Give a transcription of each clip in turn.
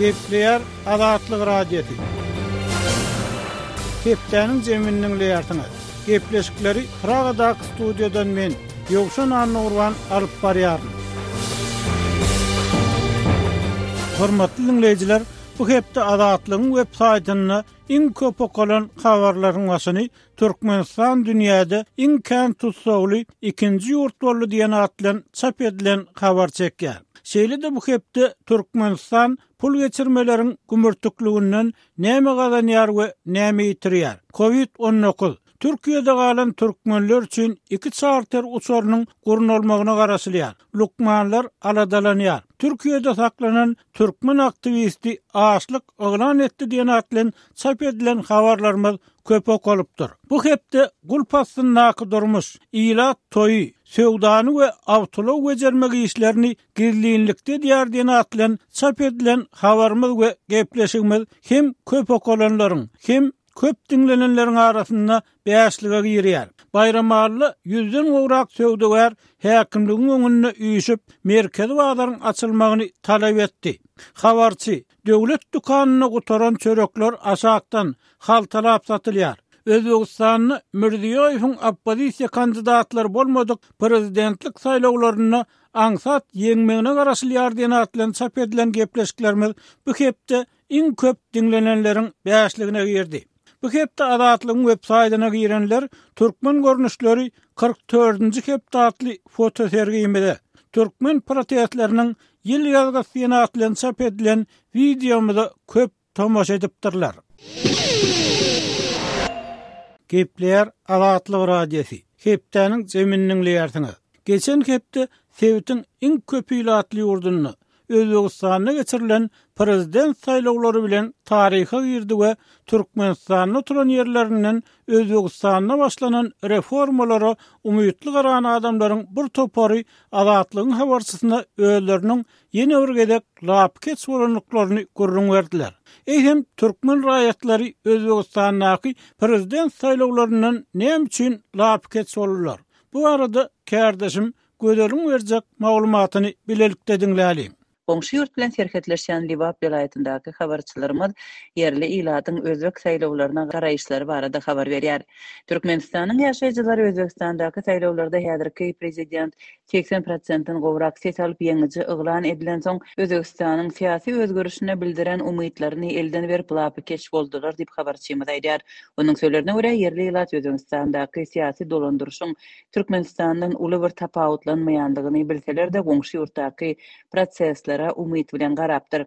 Gepleýär Azatlyk Radiosy. Hepdäniň jemini diňleýärsiňiz. Gepleşikleri Pragadaky studiýadan men, Ýowşan Annagurban alyp barýaryn. Hormatly diňleýjiler, bu hepde Azatlygyň web saýtynda iň köp okalan habarlaryň başyny Türkmenistan dünýäde iň kän tussagly ikinji ýurt boldy diýen at bilen çap edilen habar çekýär. Şeýle-de bu hepde Türkmenistan pul geçirmeleriň gümürtikliginden näme gazanýar we näme ýitirýär? Covid 19, Türkiýede galan türkmenler üçin iki çarter uçarynyň gurnalmagyna garaşylýar. Lukmanlar aladalanýar. Türkiýede saklanan türkmen aktiwisti açlyk yglan etdi diýen at bilen çap edilen habarlarymyz köp okalypdyr. Bu hepde gulp astyndaky durmuş, ilat toýy, söwdany we awtoulag bejermek işlerini gizlinlikde edýär diýen at bilen çap edilen habarymyz we gepleşigimiz hem köp okalanlaryň, hem köp diňlenenleriň arasynda bäşlige girýär. Baýramalyda ýüzden gowrak söwdagär häkimligiň öňünde üýşüp, merkezi bazaryň açylmagyny talap etdi. Habarçy, Döwlet dükanynda gutaran çörekler aşakdan, haltalap satylýar. Özbegistanda Mirziýoýewiň oppozisiýa kandidatlary bolmadyk prezidentlik saýlawlarynda aňsat ýeňmegine garaşylýar diýen at bilen çap edilen gepleşiklerimiz bu hepde iň köp diňlenenleriň bäşligine girdi. Bu hepde Azatlygyň websaýtyna girenler Türkmen görnüşleri 44-nji hepde atly fotosergimize, türkmen protestleriniň ýyl ýazgysy diýen at bilen çap edilen wideomyza köp tomaşa edipdirler. Gepleýär Azatlyk Radiosy. Hepdäniň jemini diňleýärsiňiz. Geçen hepde sebitiň iň köp ilatly ýurdunda, Özbegistanda geçirilen prezident saýlawlary bilen taryha girdi we Türkmenistanda oturan ýerlerinden Özbegistanda başlanan reformalara umytly garan adamlaryň bir topary Azatlygyň habarçysyna özleriniň ýene bir gezek lapykeç bolandyklaryny gürrüň berdiler. Eýsem, türkmen raýatlary Özbegistandaky prezident saýlawlaryndan näme üçin lapykeç boldular? Bu barada kärdeşim Gözeliň berjek maglumatyny bilelikde diňläliň. Goňşy ýurt bilen serhetleşýän Lebap welaýatyndaky habarçylarymyz ýerli ilatyň özbek saýlawlaryna garaýyşlary barada habar berýär. Türkmenistanyň ýaşaýjylary Özbegistandaky saýlawlarda häzirki prezident 80 prosentden gowrak ses alyp ýeňiji yglan edilensoň, Özbegistanyň syýasy özgerişine bildiren umytlaryny elden berip lapykeç boldular diýip habarçymyz aýdýar. Onuň sözlerine görä, ýerli ilat Özbegistandaky syýasy dolandyryşyň Türkmenistandan uly bir tapawutlanmaýandygyny bilseler-de, goňşy ýurtdaky proseslere umyt bilen garapdyr.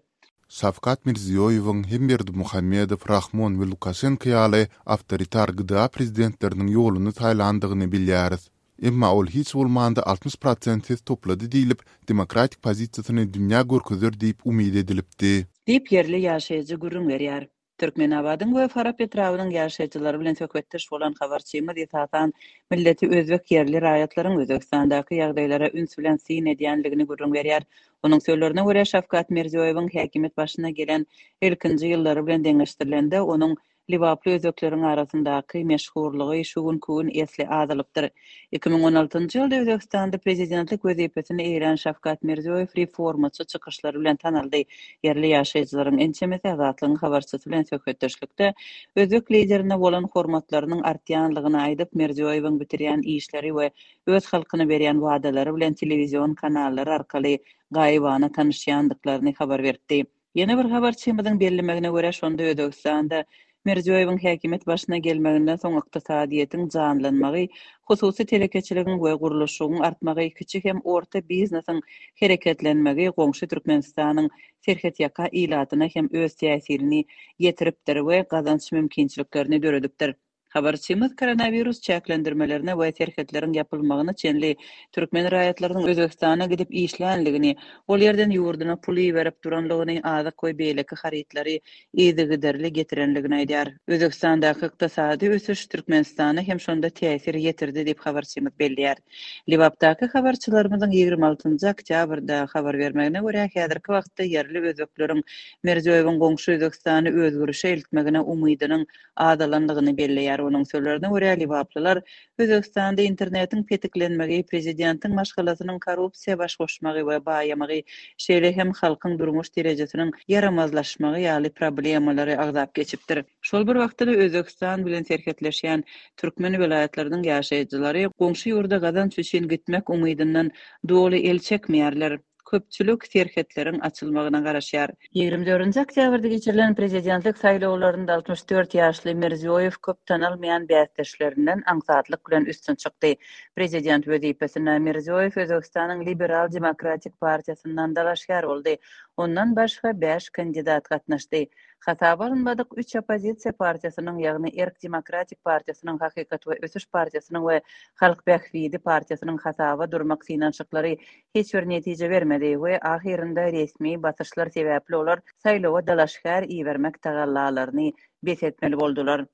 Şawkat Mirziýoýewiň hem Berdimuhamedow, Rahmon we Lukaşenko ýaly awtoritar GDA prezidentleriniň ýoluny saýlandygyny bilýäris. Emma ol hiç bolmanda 60 prosent ses toplady diýlip, demokratik pozisiýasyny dünýä görkezer diýip umyt edilipdi. Diýip, ýerli ýaşaýjy gürrüň berýär. Türkmenabadyň we Farap etrabynyň ýaşaýjylary bilen söhbetdeş bolan habarçymyz esasan milleti özbek ýerli raýatlaryň Özbegistandaky ýagdaýlara üns bilen syn edýänligini gürrüň berýär. Onuň sözlerine görä, Şawkat Mirziýoýewiň häkimiýet başyna gelen ilkinji ýyllary bilen deňeşdirilende, onuň lebaply özbekleriň arasyndaky meşhurlygy şu günki gün esli azalypdyr. 2016-njy ýylda Özbegistanda prezidentlik wezipesini eýelän Şawkat Mirziýoýew reformaçy çykyşlary bilen tanaldy. Ýerli ýaşaýjylaryň ençemesi Azatlygyň habarçysy bilen söhbetdeşlikde özbek liderine bolan hormatlarynyň artýanlygyny aýdyp, Mirziýoýewiň bitirýän işleri we öz halkyna berýän wadalary bilen telewizion kanallary arkaly gaýybana tanyşýandyklaryny habar beripdi. Ýene bir habarçymyzyň bellemegine görä, şonda Özbegistanda Mirziýoýewiň häkimiýet başyna gelmeginden soň ykdysadyýetiň janlanmagy, hususy telekeçiligiň we gurluşygyň artmagy, kiçi hem orta biznesiň hereketlenmegi goňşy Türkmenistanyň serhetýaka ilatyna hem öz täsirini ýetiripdir we gazanç mümkinçiliklerini döredipdir. Habarçymyz koronawirus çäklendirmelerine we serhetleriň ýapylmagyna çenli türkmen raýatlarynyň Özbegistana gidip işlänligini, ol ýerden ýurduna pul iberip duranlygyny, azyk we beýleki harytlary yzygiderli getirenligini aýdýar. Özbegistandaky ykdysady ösüş Türkmenistana hem şonda täsir ýetirdi diýip, habarçymyz belleýär. Lebapdaky habarçylarymyzyň 26 oktýabrda habar bermegine görä, häzirki wagtda ýerli özbekleriň Mirziýoýewiň goňşy Özbegistany özgerişe eltmegine umydynyň azalandygyny belleýär. Onuň sözlerine görä, lebaplylar Özbegistanda internetiň petiklenmegi, prezidentiň maşgalasynyň korrupsiýa baş goşmagy we baýamagy, şeýle hem halkyň durmuş derejesiniň ýaramazlaşmagy ýaly problemalary agzap geçipdir. Şol bir wagtda-da Özbegistan bilen serhetleşýän türkmen welaýatlarynyň ýaşaýjylary goňşy ýurda gazanç üçin gitmek umydyndan doly el çekmeýärler. Köpçülik serhetleriň açylmagyna garaşýar. 24-nji oktýabrda geçirilen prezidentlik saýlawlarynda 64 ýaşly Mirziýoýew köp tanalmaýan bäsdeşlerinden aňsatlyk bilen üstün çykdy. Prezident wezipesine Mirziýoýew Özbegistanyň Liberal demokratik partiýasyndan dalaşgär boldy. Ondan başga bäş kandidat gatnaşdy. Hasaba alynmadyk üç oppozisiýa partiýasynyň, ýagny Erk demokratik partiýasynyň, Hakykat we ösüş partiýasynyň we Halk bähbidi partiýasynyň hasaba durmak synanyşyklary hiç bir netije bermedi we ahyrynda resmi basyşlar sebäpli olar saýlawa dalaşgär ibermek tagallalaryny bes etmeli boldular.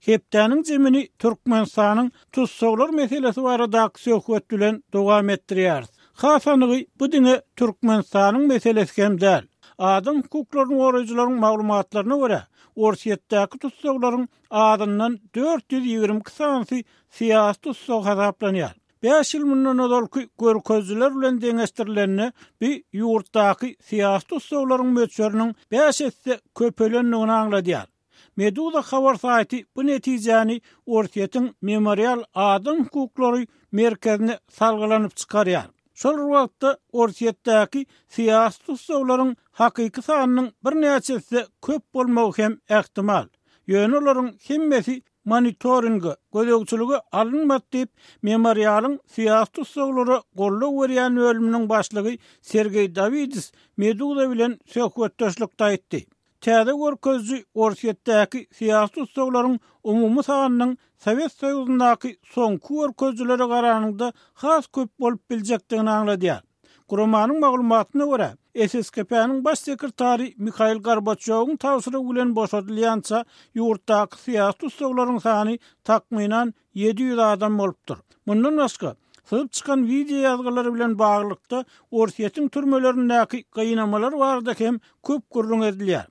Hepdäniň jemini Türkmenistanyň tussaglar meselesi baradaky söhbet bilen dowam etdirýäris. Has anygy, bu diňe Türkmenistanyň meselesi hem däl. Adam hukuklaryny goraýjylaryň maglumatlaryna görä, Orsýetdäki tussaglaryň azyndan 422 sanysy syýasy tussag hasaplanýar. Bäş ýyl mundan ozalky görkezijiler bilen deňeşdirilende, bu ýurtdaky syýasy tussaglaryň möçberiniň bäş esse köpelendigini aňladýar. Meduza habar saýty bu netijäni Orsýetiň Memorial adam hukuklary merkezine salgylanyp çykarýar. Şol bir wagtda, Orsýetdäki syýasy tussaglaryň hakyky sanynyň birnäçe esse köp bolmagy hem ähtimal. Ýöne olaryň hemmesi monitoringe, gözegçilige alynmady diýip, Memorialyň syýasy tussaglara goldaw berýän bölüminiň başlygy Sergeý Dawidis Meduza bilen söhbetdeşlikde aýtdy. Täze görkeziji Orsýetdäki syýasy tussaglaryň umumy sanynyň Sowet Soýuzyndaky soňky görkezijilere garanyňda has köp bolup biljekdigini aňladýar. Guramanyň maglumatyna görä, SSKP-niň baş sekretary Mihail Gorbaçýowyň tabşyrygy bilen boşadylýança ýurtdaky syýasy tussaglaryň sany takmynan 700 adam bolupdyr. Mundan başga, syzyp çykan wideo ýazgylary bilen baglylykda Orsýetiň türmelerindäki gynamalar barada hem köp gürrüň edilýär.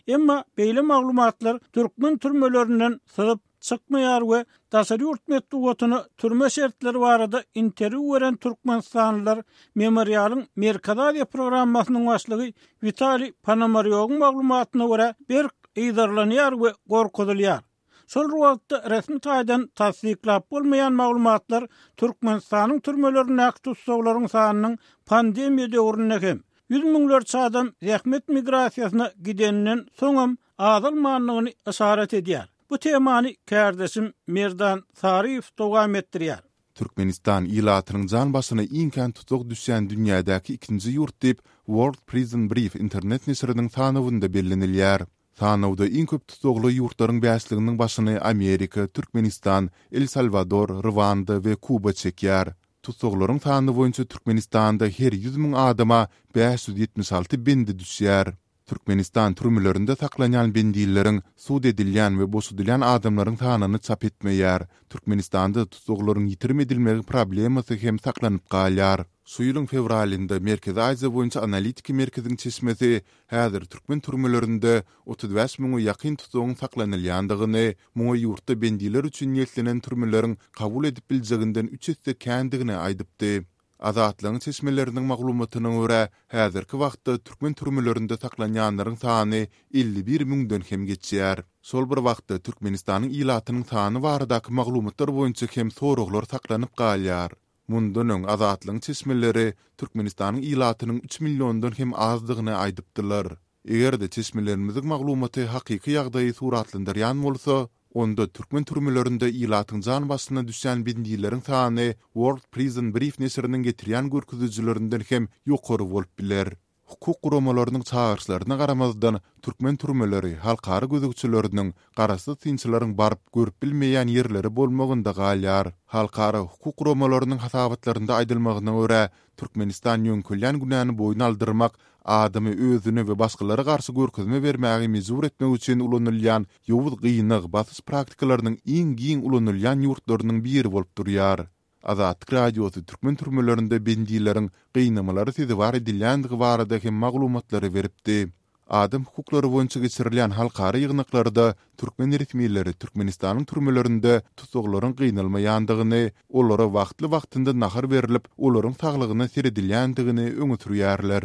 Emma beýle maglumatlar türkmen türmelerinden syzyp çykmaýar we daşary ýurt metbugatyna türme şertleri barada interwýu beren türkmenistanlylar Memorialyň Merkezi Aziýa programmasynyň başlygy Witaliý Ponomarýowyň maglumatyna görä berk yzarlanýar we gorkuzylýar. Şol bir wagtda, resmi taýdan tassyklap bolmaýan maglumatlar Türkmenistanyň türmelerindäki tussaglaryň sanynyň pandemiýa döwründe hem, ýüz müňlerçe adam zähmet migrasiýasyna gideninden soňam azalmandygyny yşarat edýär. Bu temany kärdeşim Merdan Saryýew dowam etdirýär. Türkmenistan ilatynyň jan başyna iň kän tussag düşýän dünýädäki ikinji ýurt diýip, World Prison Brief internet neşiriniň sanawynda bellenilýär. Sanawda iň köp tussagly ýurtlaryň bäşliginiň başyny Amerika, Türkmenistan, El Salwador, Rwanda we Kuba çekýär. Tussaglaryň sany boýunça Türkmenistanda her 100 müň adama 576 bendi düşýär. Türkmenistan türmelerinde saklanýan bendileriň, sud edilýän we boşadylýan adamlaryň sanyny çap etmeýär. Türkmenistanda tussaglaryň ýitirim edilmegi problemasy hem saklanyp galýar. Şu ýylyň fewralynda Merkezi Aziýa boýunça analitiki merkeziň çeşmesi häzir türkmen türmelerinde 35 müňe ýakyn tussagyň saklanylýandygyny, muňa ýurtda bendiler üçin niýetlenen türmeleriň kabul edip biljeginden üç esse kändigini aýdypdy. Azatlygyň çeşmeleriniň maglumatyna görä, häzirki wagtda türkmen türmelerinde saklanýanlaryň sany 51 müňden hem geçýär. Şol bir wagtda, Türkmenistanyň ilatynyň sany baradaky maglumatlar boýunça hem soraglar saklanyp galýar. Mundan öň Azatlygyň çeşmeleri Türkmenistanyň ilatynyň üç milliondan hem azdygyny aýdypdylar. Eger-de çeşmelerimiziň maglumaty hakyky ýagdaýy suratlandyrýan bolsa, onda türkmen türmelerinde ilatyň jan başyna düşýän bendileriň sany World Prison Brief neşiriniň getirýän görkezijilerinden hem ýokary bolup biler. Hukuk guramalarynyň çagyryşlaryna garamazdan, türkmen türmeleri halkara gözegçileriniň, garaşsyz synçylaryň baryp, görüp bilmeýän ýerleri bolmagynda galýar. Halkara hukuk guramalarynyň hasabatlarynda aýdylmagyna görä, Türkmenistan ýöňkelýän günäni boýun aldyrmak, adamy özüne we başgalara garşy görkezme bermäge mejbur etmek üçin ulanylýan ýowuz gynag, basyş praktikalarynyň iň giň ulanylýan ýurtlarynyň biri bolup durýar. Azatlyk Radiosy türkmen türmelerinde bendileriň gynamalara sezewar edilýändigi barada hem maglumatlary beripdi. Adam hukuklary boýunça geçirilýän halkara ýygnaklarda türkmen resmileri Türkmenistanyň türmelerinde tussaglaryň gynalmaýandygyny, olara wagtly-wagtynda nahar berlip, olaryň saglygyna seredilýändigini öňe sürýärler.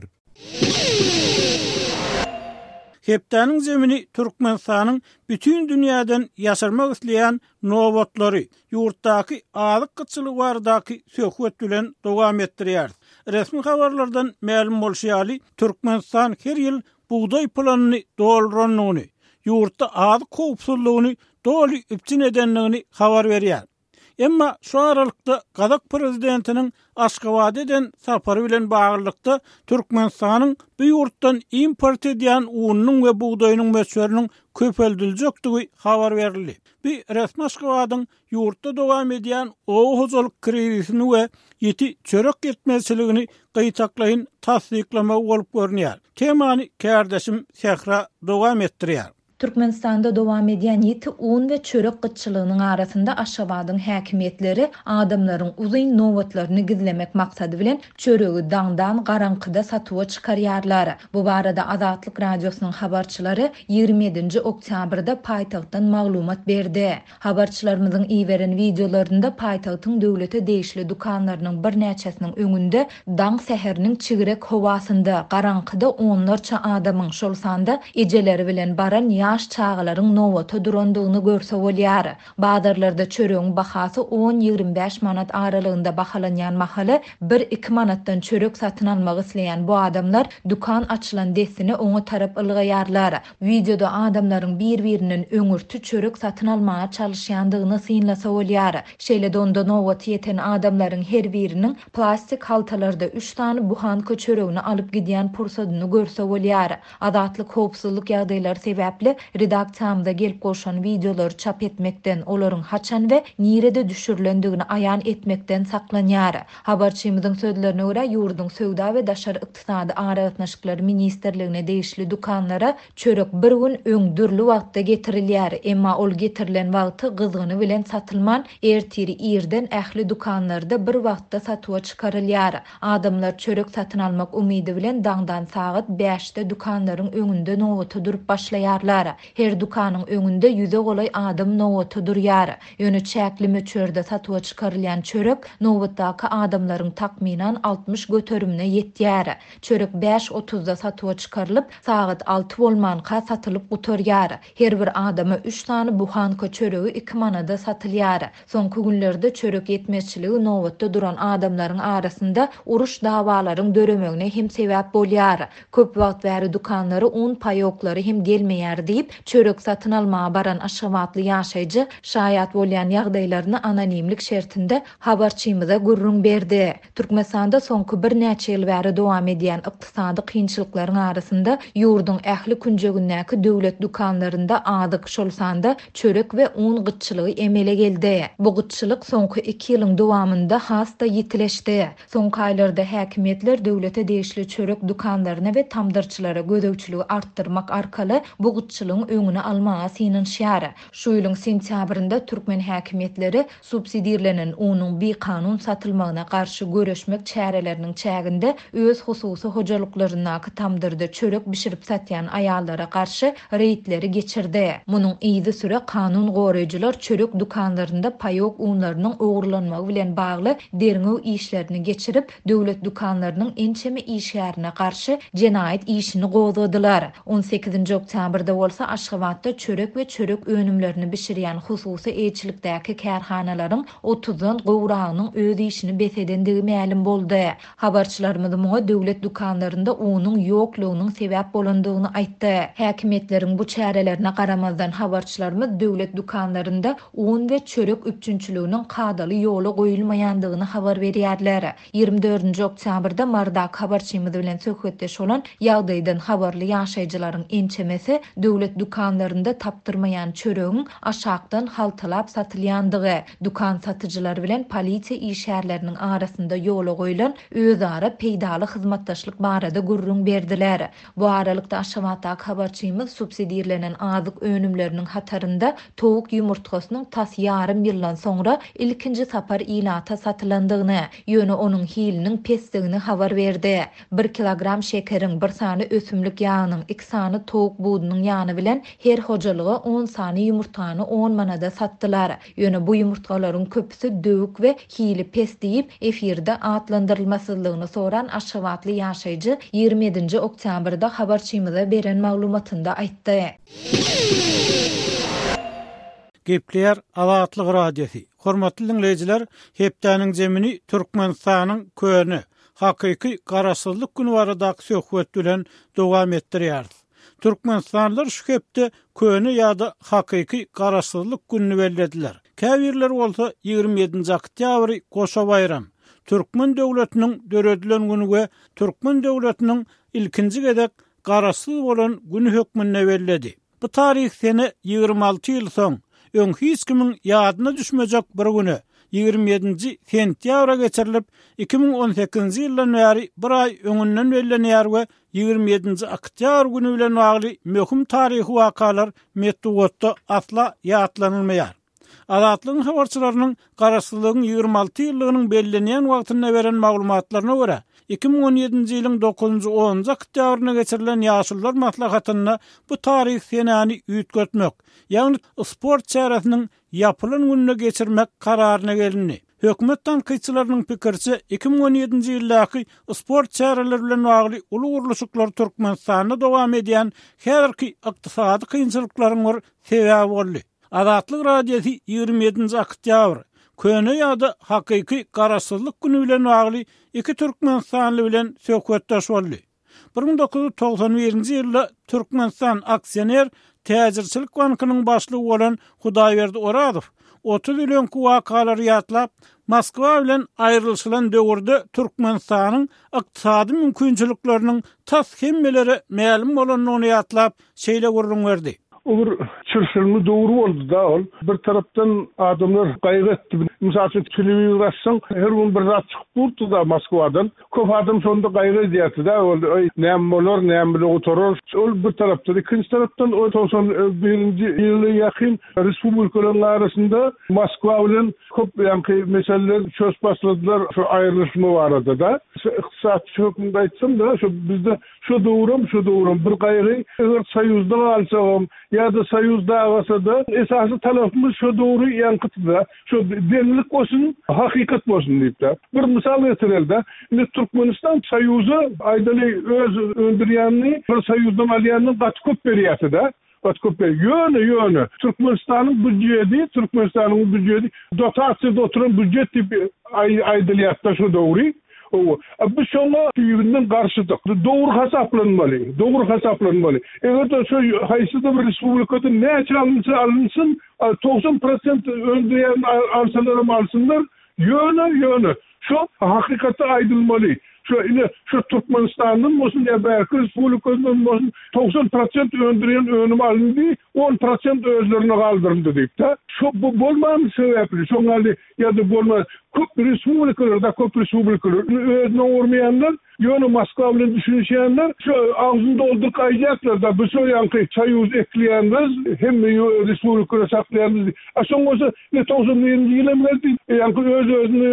Hepdäniň zemini Türkmenistanyň bütin dünýäden ýaşyrmak isleýän nobatlary, ýurtdaky azyk gytçylygy baradaky söhbet bilen dowam etdirýäris. Resmi habarlardan mälim bolşy ýaly, Türkmenistan her ýyl bugdaý planyny dolduranyny, ýurtda azyk howpsuzlygyny doly üpjün edendigini habar berýär. Emma şu aralykda gazak prezidentiniň Aşgabada eden sapary bilen baglylykda Türkmenistanyň bu ýurtdan import edýän ununyň we bugdaýynyň möçberiniň köpeldiljekdigi habar berildi. Bu resmi Aşgabadyň ýurtda dowam edýän oba hojalyk krizisini we ýiti çörek ýetmezçiligini gytaklaýyn tassyklamagy bolup görünýär. Temany kärdeşim Sähra dowam etdirýär. Türkmenistanda dowam edýän ýiti un we çörek gytçylygynyň arasynda Aşgabadyň häkimiýetleri adamlaryň uzyn nobatlaryny gizlemek maksady bilen çöregi daňdan garaňkyda satuwa çykarýarlar. Bu barada Azatlyk Radiosynyň habarçylary 27-nji oktýabrda paýtagtdan maglumat berdi. Habarçylarymyzyň iberen wideolarynda paýtagtyň döwlete degişli dükanlarynyň birnäçesiniň öňünde daň säheriniň çigrek howasynda, garaňkyda onlarça adamyň, şol sanda ejeleri bilen baran ýaş çagalaryň nobata durandygyny görse bolýar. Bazarlarda çöregiň bahasy on- 25 manat aralygynda bahalanýan mahaly, bir-iki manatdan çörek satyn almak isleýän bu adamlar dükan açylan dessine oňa tarap ylgaýarlar. Wideoda adamlaryň bir-birinden öňürti çörek satyn almaga çalyşýandygyny synlasa bolýar. Şeýle-de onda nobaty ýeten adamlaryň her biriniň plastik haltalarda üç sany buhanka çöregini alyp gidýän pursadyny görse bolýar. Azatlyk howpsuzlyk ýagdaýlary sebäpli redaksiýamyza gelip gowşan wideolary çap etmekden, olaryň haçan we nirede düşürilendigini aýan etmekden saklanýar. Habarçymyzyň sözlerine görä, ýurduň Söwda we daşary ykdysady aragatnaşyklar ministrligine degişli dükanlara çörek bir gün öň dürli wagtda getirilýär, emma ol getirilen wagty gyzgyny bilen satylman, ertir irden ähli dükanlarda bir wagtda satuwa çykarylýar. Adamlar çörek satyn almak umydy bilen daňdan sagat bäşde dükanlaryň öňünde nobata durup başlaýarlar. Her dükanyň öňünde ýüze golaý adam nobata durýar. Ýöne çäkli möçberde satuwa çykarylýan çörek nobatdaky adamlaryň takmynan 60 göterimine ýetýär. Çörek bäş otuzda satuwa çykarylyp, sagat alty bolmanka satylyp gutarýar. Her bir adama üç sany buhanka çöregi iki manada satylýar. Soňky günlerde çörek ýetmezçiligi nobatda duran adamlaryň arasynda uruş-dawalaryň döremegine hem sebäp bolýar. Köp wagt bäri dükanlara un paýoklary hem gelmeýär diýip, çörek satyn almaga baran aşgabatly ýaşaýjy şaýat bolýan ýagdaýlaryny anonimlik şertinde habarçymyza gürrüň berdi. Türkmenistanda soňky birnäçe ýyl bäri dowam edýän ykdysady kynçylyklaryň arasynda ýurduň ähli künjegindäki döwlet dükanlarynda azyk, şol sanda çörek we un gytçylygy emele geldi. Bu gytçylyk soňky iki ýylyň dowamynda has-da ýitileşdi. Soňky aýlarda häkimiýetler döwlete degişli çörek dükanlaryna we tamdyrçylara gözegçiligi artdyrmak arkaly bu gytçylygyň öňüni almaga synanyşýar. Şu ýylyň sentýabrynda türkmen häkimiýetleri subsidirlenen unuň bikanun satylmagyna garşy göreşmek çäreleriniň çäginde öz hususy hojalyklaryndaky tamdyrda çörek bişirip satýan aýallara garşy reýdleri geçirdi. Munuň yzysüre kanun goraýjylar çörek dükanlarynda paýok unlarynyň ogurlanmagy bilen bagly derňew işlerini geçirip, döwlet dükanlarynyň ençeme işgärine garşy jenaýat işini gozgadylar. On sekizinji oktýabrda bolsa Aşgabatda çörek we çörek önümlerini bişirýän hususy eýeçilikdäki kärhanalaryň otuzdan gowragynyň öz işini bes edendigi mälim boldy. Habarçylarymyz muňa döwlet dükanlarynda unuň ýoklugynyň sebäp bolandygyny aýtdy. Häkimiýetleriň bu çärelerine garamazdan, habarçylarymyz döwlet dükanlarynda un we çörek üpjünçiliginiň kadaly ýola goýulmaýandygyny habar berýärler. 24-nji oktýabrda Marydaky habarçymyz bilen söhbetdeş bolan ýagdaýdan habarly ýaşaýjylaryň ençemesi döwlet. Döwlet dükanlarynda tapdyrmaýan çöregiň aşakdan haltalap satylýandygy, dükan satyjylary bilen polisiýa işgärleriniň arasynda ýola goýlan özara peýdaly hyzmatdaşlyk barada gürrüň berdiler. Bu aralykda, Aşgabatdaky habarçymyz subsidirlenen azyk önümleriniň hatarynda towuk ýumurtgasynyň tas ýarym ýyldan soňra ilkinji sapar ilata satylandygyny, ýöne onuň hiliniň pesdigini habar berdi. Bir kilogram şekeriň, bir sany ösümlik ýagynyň, iki sany towuk budunyň ýany bilen her hojalyga on sany ýumurtgany on manada satdylar. Ýöne bu ýumurtgalaryň köpüsi döwük we hili pes diýip, efirde atlandyrylmasyzlygyny soran aşgabatly ýaşaýjy 27-nji oktýabrda habarçymyza beren maglumatynda aýtdy. Gepleýär Azatlyk Radiosy. Hormatly diňleýjiler, hepdäniň zemini Türkmenistanyň köne, hakyky Garaşsyzlyk güni baradaky söhbet bilen dowam etdirýäris. Türkmenistanlylar şu hepde köne ýa-da hakyky Garaşsyzlyk gününi bellediler. Käbirleri bolsa 27-nji oktýabry goşa baýram, türkmen döwletiniň döredilen güni we türkmen döwletiniň ilkinji gezek garaşsyz bolan güni hökmünde belledi. Bu taryhy sene 26 ýyl soň, öň hiç kimiň ýadyna düşmejek bir güne, 27-nji sentýabra geçirilip, 2018-nji ýyldan bäri bir aý öňünden bellenýär we 27-nji oktýabr güni bilen bagly möhüm taryhy wakalar metbugatda asla ýatlanylmaýar. Azatlygyň habarçylarynyň Garaşsyzlygyň 26 ýyllygynyň bellenýän wagtynda beren maglumatlaryna görä, 2017-nji ýylyň dokuzynjy-onunjy oktýabrynda geçirilen Ýaşulular maslahatynda bu taryhy senäni üýtgetmek, ýagny sport çäresiniň ýapylan gününe geçirmek kararyna gelindi. Hökümet tankytçylarynyň pikiriçe, 2017-nji ýyldaky sport çäreleri bilen bagly uly gurluşyklar Türkmenistanda dowam edýän häzirki ykdysady kynçylyklaryň bir sebäbi boldy. Azatlyk Radiosy 27-nji oktýabr, köne ýa-da hakyky Garaşsyzlyk güni bilen bagly iki türkmenistanly bilen söhbetdeş boldy. 1991-nji ýylda Türkmenistan aksioner täjirçilik bankynyň başlygy bolan Hudaýberdi Orazow 30 ýyl öňki wakalary ýatlap, Moskwa bilen aýrylyşylan döwürde Türkmenistanyň ykdysady mümkinçilikleriniň tas hemmelere mälim bolandygyny ýatlap, şeýle gürrüň berdi. O bir çylşyrymly döwür boldy-da ol. Bir tarapdan adamlar gaýgy etdi. Mysal üçin, telewizor açsaň, her gün bir zat çykyp durdy-da Moskwadan. Köp adam şonda gaýgy edýärdi-de, ol, Eý, näme bolar, näme bile gutarar. Ol bir tarapdan. Ikinji tarapdan, o 91-nji ýyla ýakyn respublikalaryň arasynda Moskwa bilen köp ýaňky meseleler çözüp başladylar şu aýrylyşma barada-da. Şu ykdysatçy hökmünde aýtsam-da, şu bizde Şu döwrem, şu döwrem bir gaýgy, eger Soýuzda galsagam ýa-da Soýuz dagasa-da, esasy talapymyz şo döwri ýaňkytda, şo deňlik bolsun, hakykat bolsun diýip-de. Bir mysal getireli-de, indi Türkmenistan Soýuza, aýdaly, öz öndürýänini bir Soýuzdan alýandan gaty köp berýärdi-de. Gaty köp berýär. Ýöne, ýöne, Türkmenistanyň býujeti, Türkmenistanyň býujeti dotasiýada oturan býujet diýip aýdylýar-da şo döwri. Hawa. A biz şoňa düýbünden garşydyk. Dogry hasaplanmaly, dogry hasaplanmaly. Eger-de şo haýsydyr bir respublikadan näçe alynsa alynsyn, 90 prosent öndürýän alsalaram alsynlar, ýöne, ýöne, Şo hakykatda aýdylmaly. Şo ine şo Türkmenistandan bolsun ýa bärki respublikadan bolsun 90 prosent öndürýän önüm alyndy, on prosent özlerine galdyryldy diýip-de. Şo bu bolmany sebäpli şoň ýaly ýa-da bolman köp respublikalarda köp respublikalar özüne urmaýanlar ýöne Moskwa bilen düşünişýänler şo agzyny dolduryp aýdýarlar-da biz şo ýaňky soýuz ekleýändiris hemme respublikalary saklaýandyrys diýip. A şoň bolsa Ine, 91-nji ýyl hem geldi, ýaňky öz-özüni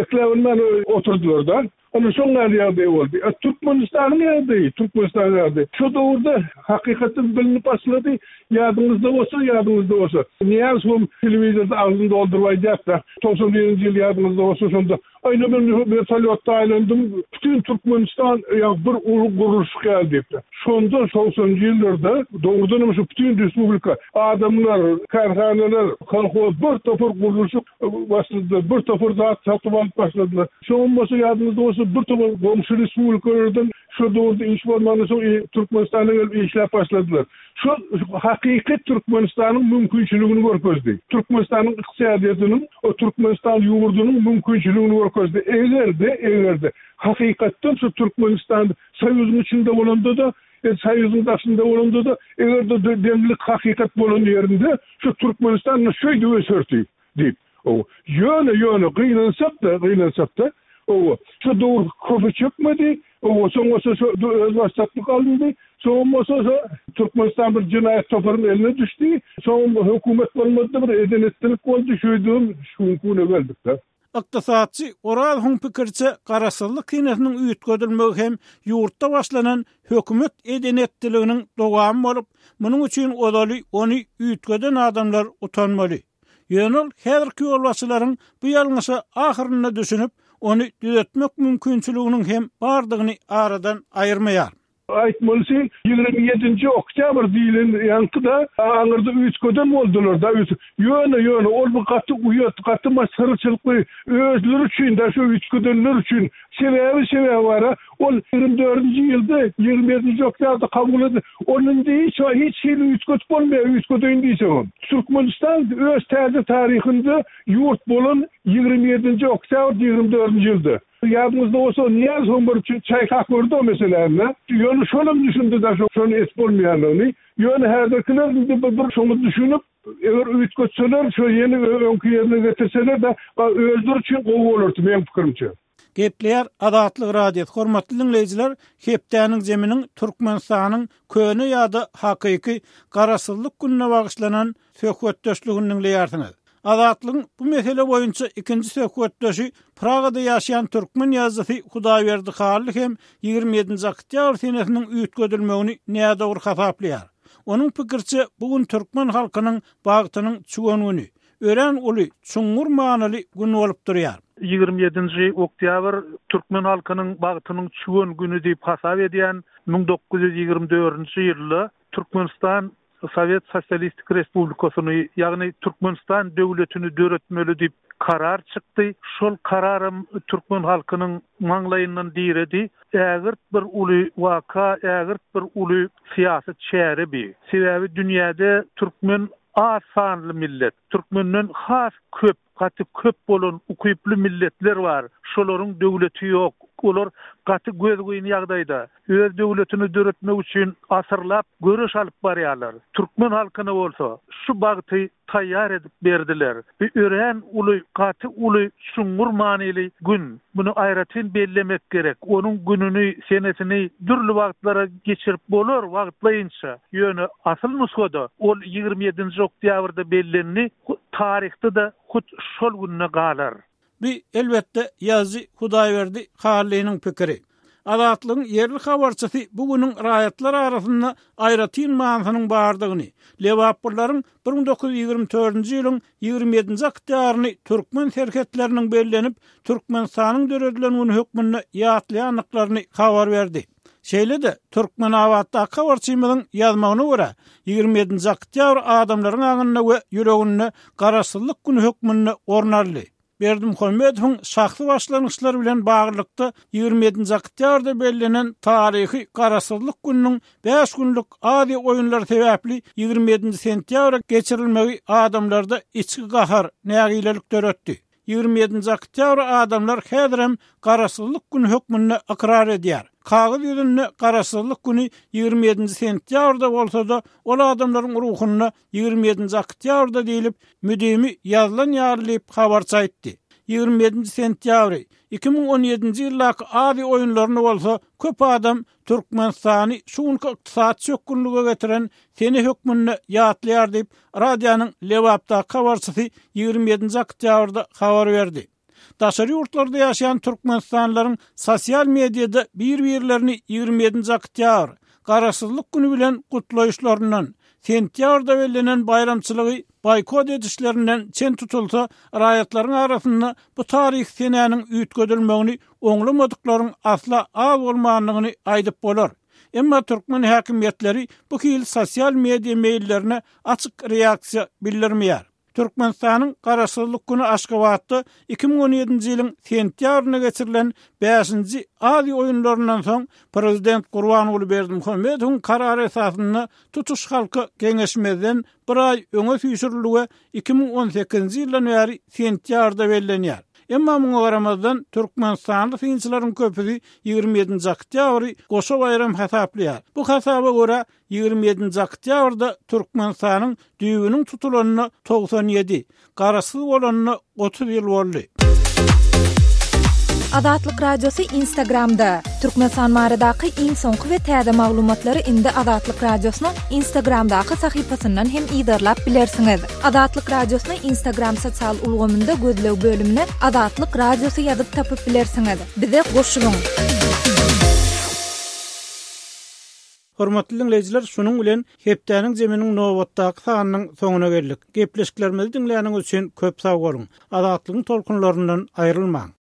ekläbilmän oturdylar-da. Ana, şoň ýaly ýagdaý boldy. A Türkmenistanyň ýagdaýy, Türkmenistanyň ýagdaýy şo döwürde hakykatdan bilinip başlady. Ýadyňyzda bolsa, ýadyňyzda bolsa, Nyýazowam telewizorda agzyny dolduryp aýdýardy-da, 91-nji ýyl ýadyňyzda bolsa şonda, Aýna men wertolýotda aýlandym, bütin Türkmenistan ýa bir uly gurluşyk ýaly diýipdir. Şonda togsanynjy ýyllarda dogrudanam şu bütin respublika adamlar, kärhanalar, kolhoz bir topar gurluşyk başladylar, bir topar zat satyp alyp başladylar. Şoňam bolsa ýadyňyzda bolsa bir topar goňşy respublikalardan. Şo döwürde iş bolmandan soň Türkmenistana gelip işläp başladylar. Şo hakyky Türkmenistanyň mümkinçiligini görkezdi. Türkmenistanyň ykdysadyýetiniň, o Türkmenistan ýurdunyň mümkinçiligini görkezdi. Eger-de, eger-de hakykatdan şu Türkmenistan Soýuzyň içinde bolanda-da, Soýuzyň daşynda bolanda-da, eger-de deňlik hakykat bolan ýerinde şu Türkmenistan şeýdip öserdi diýip. Hawa. Ýöne, ýöne, gynansak-da, gynansak-da, hawa, şo döwür köpe çekmedi, hawa, soň bolsa şo özbaşdaklyk alyndy, soňam bolsa şo Türkmenistan bir jenaýat toparyň eline düşdi, soňam hökümet bolmady-da, bir eden-etdilik boldy, şeýdibem şu günki güne geldik-de. Ykdysatçy Orazowyň pikiriçe, garaşsyzlyk senesiniň üýtgedilmegi hem ýurtda başlanan hökümet eden-etdiliginiň dowamy bolup, munuň üçin ozaly ony üýtgeden adamlar utanmaly. Ýöne ol häzirki ýolbaşçylaryň bu ýalňyşa ahyrynda düşünip, ony düzetmek mümkinçiliginiň hem bardygyny aradan aýyrmaýar. Aýtmalysy, 27-nji oktýabr diýlen ýaňky-da aňyrda üýtgeden boldular-da. Ýöne, ýöne ol bir gaty uýat, gaty masgaraçylykly özleri üçin-de, şo üýtgedenler üçin. Sebäbi, sebäbi bar-a, ol 24-nji ýylda, 27-nji oktýabrda kabul edildi. Ony indi hiç hiç hili üýtgedip bolmaýar, üýtgedeýin diýseňem. Türkmenistan öz täze taryhynda ýurt bolan 27-nji oktýabr 24-nji ýylda. Ýadyňyzda bolsa, Nyýazowyň bir çaýkap gördi o meseläni. Ýöne şolam düşündi-de şony edip bolmaýandygyny. Ýöne häzirkiler indi bir şoňa düşünip, eger üýtgetseler, şo ýene öňki ýerine getirseler-de, özleri üçin gowy bolardy, meň pikirimçe. Gepleýär Azatlyk Radiosy, Hormatly diňleýjiler, hepdäniň zeminiň Türkmenistanyň köne ýa-da hakyky Garaşsyzlyk gününe bagyşlanan söhbetdeşligini diňleýärsiňiz. Azatlygyň bu mesele boýunça ikinji söhbetdeşi Pragada ýaşaýan türkmen ýazyjysy Hudaýberdi Hally hem 27-nji oktýabr senesiniň üýtgedilmegini nädogry hasaplaýar. Onuň pikiriçe, bu gün türkmen halkynyň bagtynyň çüwen güni, örän uly, çuňňur manyly gün bolup durýar. 27-nji oktýabr türkmen halkynyň bagtynyň çüwen güni diýip hasap edýän 1924-nji ýylda Türkmenistan Sowet Sosialistik Respublikasyny, ýagny Türkmenistan döwletini döretmeli diýip karar çykdy. Şol kararam türkmen halkynyň maňlaýyndan diredi. Ägirt bir uly waka, ägirt bir uly syýasy çäre bi. Sebäbi dünýäde türkmen az sanly millet. Türkmenden has köp Gaty köp bolan ukyply milletler bar. Şolaryň döwleti ýok. Olar gaty gözgyny ýagdaýda. Öz döwletini döretmek üçin asyrlap göreş alyp barýarlar. Türkmen halkyna bolsa şu bagty taýýar edip berdiler. Bu örän uly, gaty uly, çuňňur manyly gün. Muny aýratyn bellemek gerek. Onuň gününi, senesini dürli wagtlara geçirip bolar, wagtlaýynça. Ýöne asyl nusgada ol 27-nji oktýabrda bellendi. Taryhda-da hut şol günde galar. Bu, elbetde, ýazyjy Hudaýberdi Hallynyň pikiri. Azatlygyň ýerli habarçysy bu günüň raýatlar arasynda aýratyn manysynyň bardygyny, lebaplylaryň 1924-nji ýylyň 27-nji oktýabryny türkmen serhetleriniň bellenip, Türkmenistanyň döredilen güni hökmünde ýatlaýandyklaryny habar berdi. Şeýle-de, Türkmenabatdaky habarçymyzyň ýazmagyna görä, 27-nji oktýabr adamlaryň aňynda we ýüreginde Garaşsyzlyk güni hökmünde orun aldy. Berdimuhamedowyň şahsy başlangyçlary bilen baglylykda 27-nji oktýabrda bellenen taryhy Garaşsyzlyk gününiň bäş günlük Aziýa oýunlary sebäpli 27-nji sentýabra geçirilmegi adamlarda içki gahar, nägilelik döretdi. 27-nji oktýabry adamlar häzirem Garaşsyzlyk güni hökmünde ykrar edýär. Kagyz ýüzünde Garaşsyzlyk güni 27-nji sentýabrda bolsa-da, ol adamlaryň ruhunda 27-nji oktýabrda diýlip, müdimi ýazylan ýaly diýip, habarçy aýtdy. 27-nji sentýabry, 2017-nji ýyldaky Aziýa oýunlaryny bolsa köp adam Türkmenistany şu günki ykdysady çökgünlige getiren sene hökmünde ýatlaýar diýip, radionyň Lebapdaky habarçysy 27-nji oktýabrda habar berdi. Daşary ýurtlarda ýaşaýan türkmenistanlylaryň sosial mediada bir-birlerini 27-nji oktýabr, Garaşsyzlyk güni bilen gutlaýyşlaryndan, sentýabrda bellenen baýramçylygy boýkot edişlerinden çen tutulsa, raýatlaryň arasynda bu taryhy senäniň üýtgedilmegini oňlamadyklaryň asla az bolmandygyny aýdyp bolar. Emma türkmen häkimiýetleri bu hili sosial media meýillerine açyk reaksiýa bildirmeýär. Türkmenistanyň Garaşsyzlyk güni Aşgabatda 2017-nji ýylyň sentýabrynda geçirilen bäşinji Aziýa oýunlaryndan soň prezident Gurbanguly Berdimuhamedowyň karary esasynda tutuş halka geňeşmezden bir aý öňe süýşürildi we 2018-nji ýyldan bäri sentýabrda bellenýär. Emma muňa garamazdan, türkmenistanly synçylaryň köpüsi 27-nji oktýabry goşa baýram hasaplaýar. Bu hasaba görä, 27-nji oktýabrda Türkmenistanyň düýbüniň tutulanyna 97, Garaşsyz bolanyna 30 ýyl boldy. Azatlyk Radiosy Instagramda, Türkmenistan baradaky iň soňky we täze maglumatlary indi Azatlyk Radiosynyň Instagramdaky sahypasyndan hem yzarlap bilersiňiz. Azatlyk Radiosyny Instagram sosial ulgamynda gözleg bölümine Azatlyk Radiosy ýazyp tapyp bilersiňiz. Bize goşulyň! Hormatly diňleýjiler, şunuň bilen hepdäniň zeminiň nobatdaky sanynyň soňuna geldik. Gepleşiklerimizi diňläniňiz üçin köp sag boluň! Azatlygyň tolkunlaryndan aýrylmaň!